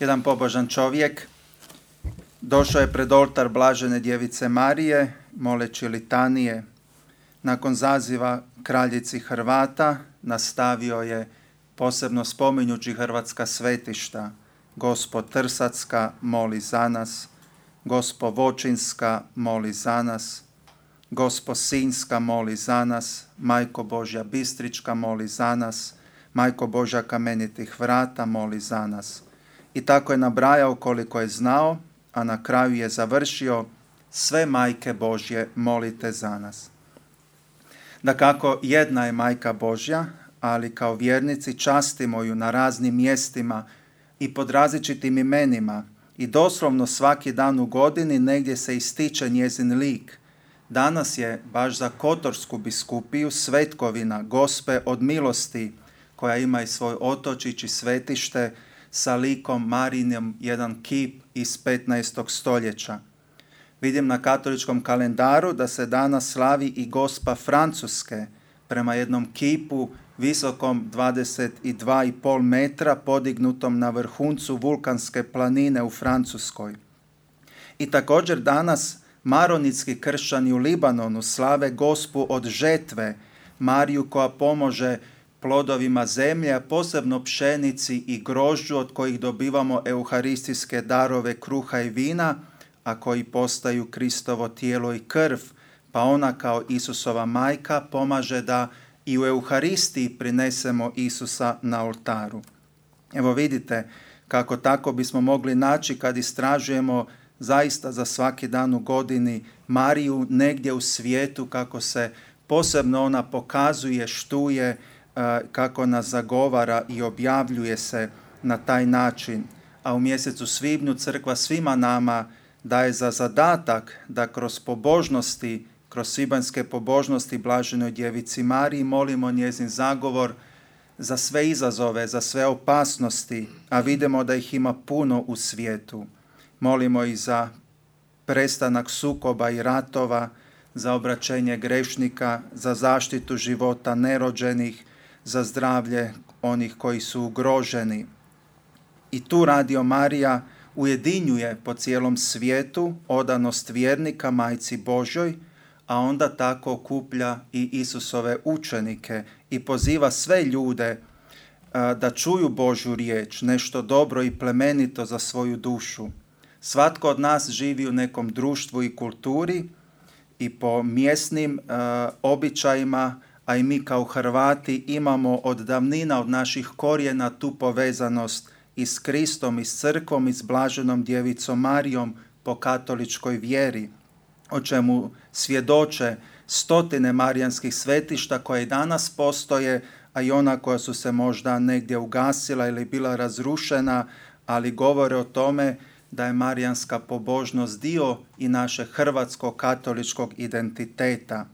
Jedan pobožan čovjek došao je pred oltar Blažene djevice Marije, moleći litanije. Nakon zaziva kraljici Hrvata nastavio je, posebno spominjući hrvatska svetišta: Gospo Trsatska, moli za nas; Gospo Vočinska, moli za nas; Gospo Sinjska, moli za nas; Majko Božja Bistrička, moli za nas; Majko Božja Kamenitih vrata, moli za nas. I tako je nabrajao koliko je znao, a na kraju je završio: sve majke Božje, molite za nas. Dakako, jedna je Majka Božja, ali kao vjernici častimo ju na raznim mjestima i pod različitim imenima i doslovno svaki dan u godini negdje se ističe njezin lik. Danas je baš za Kotorsku biskupiju svetkovina Gospe od milosti, koja ima i svoj otočić i svetište sa likom Marijinem, jedan kip iz 15. stoljeća. Vidim na katoličkom kalendaru da se danas slavi i Gospa Francuske prema jednom kipu visokom 22,5 metra podignutom na vrhuncu vulkanske planine u Francuskoj. I također danas maronitski kršćani u Libanonu slave Gospu od žetve, Mariju koja pomože plodovima zemlje, a posebno pšenici i grožđu od kojih dobivamo euharistijske darove kruha i vina, a koji postaju Kristovo tijelo i krv, pa ona kao Isusova majka pomaže da i u Euharistiji prinesemo Isusa na oltaru. Evo vidite kako tako bismo mogli naći kad istražujemo zaista za svaki dan u godini Mariju negdje u svijetu, kako se posebno ona pokazuje, štuje, kako nas zagovara i objavljuje se na taj način. A u mjesecu svibnju crkva svima nama daje za zadatak da kroz pobožnosti, kroz svibanjske pobožnosti Blaženoj djevici Mariji molimo njezin zagovor za sve izazove, za sve opasnosti, a vidimo da ih ima puno u svijetu. Molimo i za prestanak sukoba i ratova, za obraćenje grešnika, za zaštitu života nerođenih, za zdravlje onih koji su ugroženi. I tu Radio Marija ujedinjuje po cijelom svijetu odanost vjernika Majci Božjoj, a onda tako okuplja i Isusove učenike i poziva sve ljude da čuju Božju riječ, nešto dobro i plemenito za svoju dušu. Svatko od nas živi u nekom društvu i kulturi i po mjesnim običajima, a i mi kao Hrvati imamo od davnina, od naših korijena tu povezanost i s Kristom, i s crkvom, i s Blaženom djevicom Marijom po katoličkoj vjeri, o čemu svjedoče stotine marijanskih svetišta koje i danas postoje, a i ona koja su se možda negdje ugasila ili bila razrušena, ali govore o tome da je marijanska pobožnost dio i našeg hrvatskog katoličkog identiteta.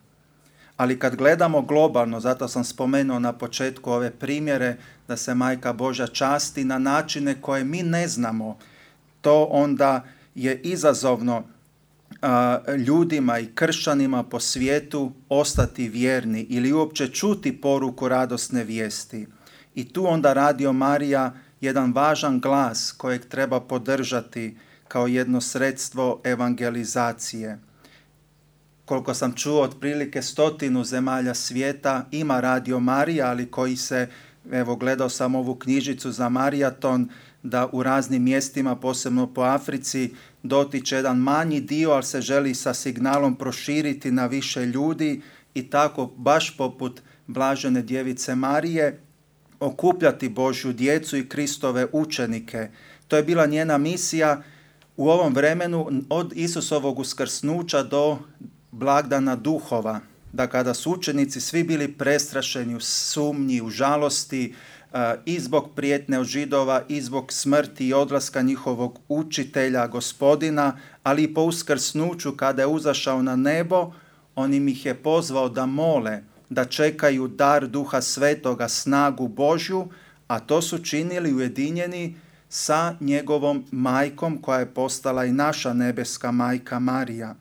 Ali kad gledamo globalno, zato sam spomenuo na početku ove primjere, da se Majka Božja časti na načine koje mi ne znamo, to onda je izazovno ljudima i kršćanima po svijetu ostati vjerni ili uopće čuti poruku radosne vijesti. I tu onda Radio Marija jedan važan glas kojeg treba podržati kao jedno sredstvo evangelizacije. Koliko sam čuo, otprilike 100 zemalja svijeta ima Radio Marija, ali koji se, evo gledao sam ovu knjižicu za Marijaton, da u raznim mjestima, posebno po Africi, dotiče jedan manji dio, ali se želi sa signalom proširiti na više ljudi i tako, baš poput Blažene djevice Marije, okupljati Božju djecu i Kristove učenike. To je bila njena misija u ovom vremenu od Isusovog uskrsnuća do blagdana duhova, da kada su učenici svi bili prestrašeni u sumnji, u žalosti, i zbog prijetnje od Židova, i zbog smrti i odlaska njihovog učitelja, Gospodina, ali i po uskrsnuću kada je uzašao na nebo, on im ih je pozvao da mole, da čekaju dar Duha Svetoga, snagu Božju, a to su činili ujedinjeni sa njegovom majkom koja je postala i naša nebeska majka Marija.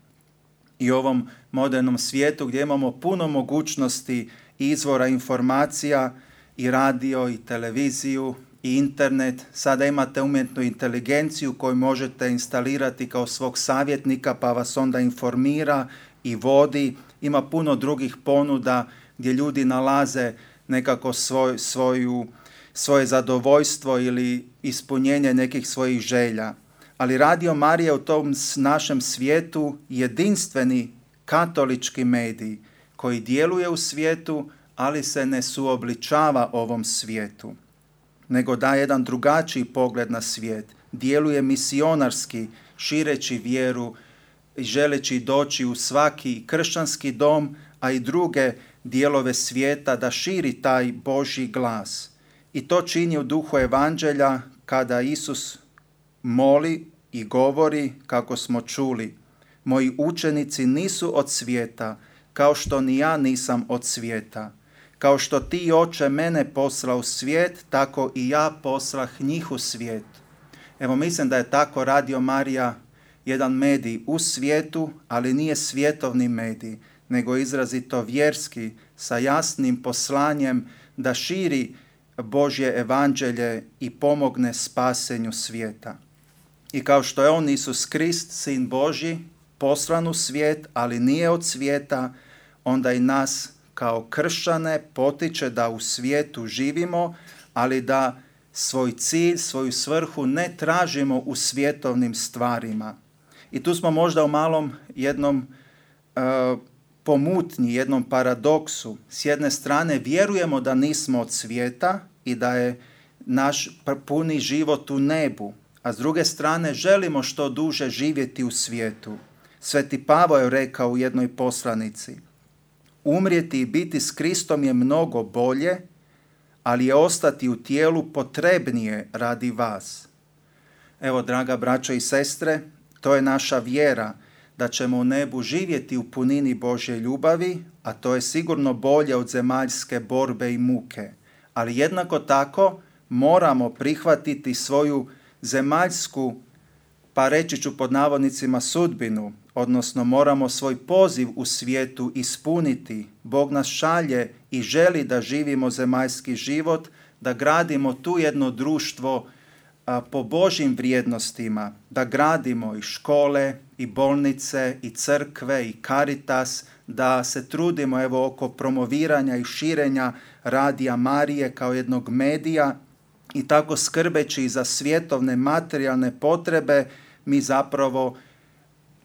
I ovom modernom svijetu gdje imamo puno mogućnosti i izvora informacija, i radio, i televiziju, i internet, sada imate umjetnu inteligenciju koju možete instalirati kao svog savjetnika pa vas onda informira i vodi. Ima puno drugih ponuda gdje ljudi nalaze nekako svoje zadovoljstvo ili ispunjenje nekih svojih želja. Ali Radio Marija u tom našem svijetu jedinstveni katolički medij koji djeluje u svijetu, ali se ne suobličava ovom svijetu, nego daje jedan drugačiji pogled na svijet. Djeluje misionarski, šireći vjeru i želeći doći u svaki kršćanski dom, a i druge dijelove svijeta da širi taj Božji glas. I to čini u duhu evanđelja kada Isus moli i govori kako smo čuli: moji učenici nisu od svijeta, kao što ni ja nisam od svijeta. Kao što ti, Oče, mene poslao u svijet, tako i ja poslah njih u svijet. Evo, mislim da je tako Radio Marija jedan medij u svijetu, ali nije svjetovni medij, nego izrazito vjerski, sa jasnim poslanjem da širi Božje evanđelje i pomogne spasenju svijeta. I kao što je on, Isus Krist, Sin Božji, poslan u svijet, ali nije od svijeta, onda i nas kao kršćane potiče da u svijetu živimo, ali da svoj cilj, svoju svrhu ne tražimo u svjetovnim stvarima. I tu smo možda u malom jednom pomutnji, jednom paradoksu. S jedne strane vjerujemo da nismo od svijeta i da je naš puni život u nebu, a s druge strane želimo što duže živjeti u svijetu. Sveti Pavao je rekao u jednoj poslanici: umrijeti i biti s Kristom je mnogo bolje, ali je ostati u tijelu potrebnije radi vas. Evo, draga braćo i sestre, to je naša vjera, da ćemo u nebu živjeti u punini Božje ljubavi, a to je sigurno bolje od zemaljske borbe i muke. Ali jednako tako moramo prihvatiti svoju zemaljsku, pa reći ću pod navodnicima, sudbinu, odnosno moramo svoj poziv u svijetu ispuniti. Bog nas šalje i želi da živimo zemaljski život, da gradimo tu jedno društvo po Božjim vrijednostima, da gradimo i škole, i bolnice, i crkve, i Caritas, da se trudimo evo oko promoviranja i širenja Radija Marije kao jednog medija i tako skrbeći za svjetovne materijalne potrebe, mi zapravo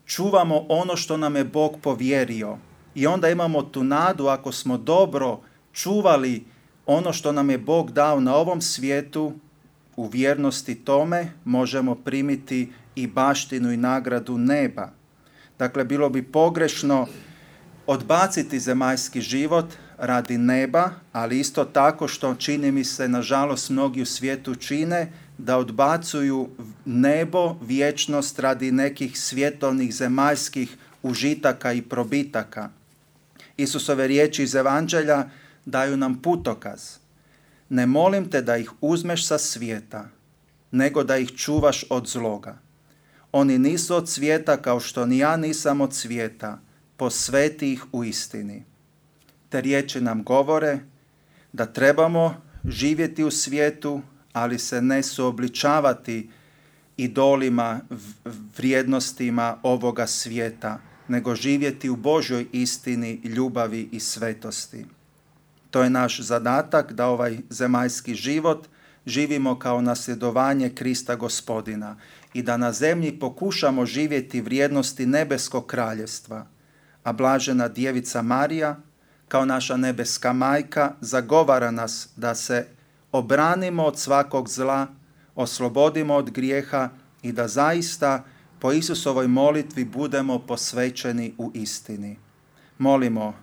čuvamo ono što nam je Bog povjerio. I onda imamo tu nadu, ako smo dobro čuvali ono što nam je Bog dao na ovom svijetu, u vjernosti tome možemo primiti i baštinu i nagradu neba. Dakle, bilo bi pogrešno odbaciti zemaljski život radi neba, ali isto tako što čini mi se, nažalost, mnogi u svijetu čine, da odbacuju nebo, vječnost radi nekih svjetovnih zemaljskih užitaka i probitaka. Isusove riječi iz Evanđelja daju nam putokaz. Ne molim te da ih uzmeš sa svijeta, nego da ih čuvaš od zloga. Oni nisu od svijeta kao što ni ja nisam od svijeta, posveti ih u istini. Te riječi nam govore da trebamo živjeti u svijetu, ali se ne suobličavati idolima, vrijednostima ovoga svijeta, nego živjeti u Božjoj istini, ljubavi i svetosti. To je naš zadatak, da ovaj zemaljski život živimo kao nasljedovanje Krista Gospodina i da na zemlji pokušamo živjeti vrijednosti nebeskog kraljevstva. A blažena Djevica Marija, kao naša nebeska majka, zagovara nas da se obranimo od svakog zla, oslobodimo od grijeha i da zaista po Isusovoj molitvi budemo posvećeni u istini. Molimo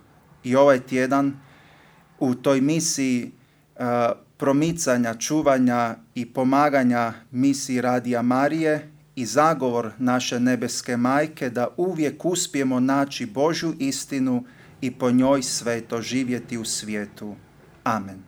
i ovaj tjedan u toj misiji promicanja, čuvanja i pomaganja misiji Radija Marije i zagovor naše nebeske majke da uvijek uspijemo naći Božju istinu i po njoj sveto živjeti u svijetu. Amen.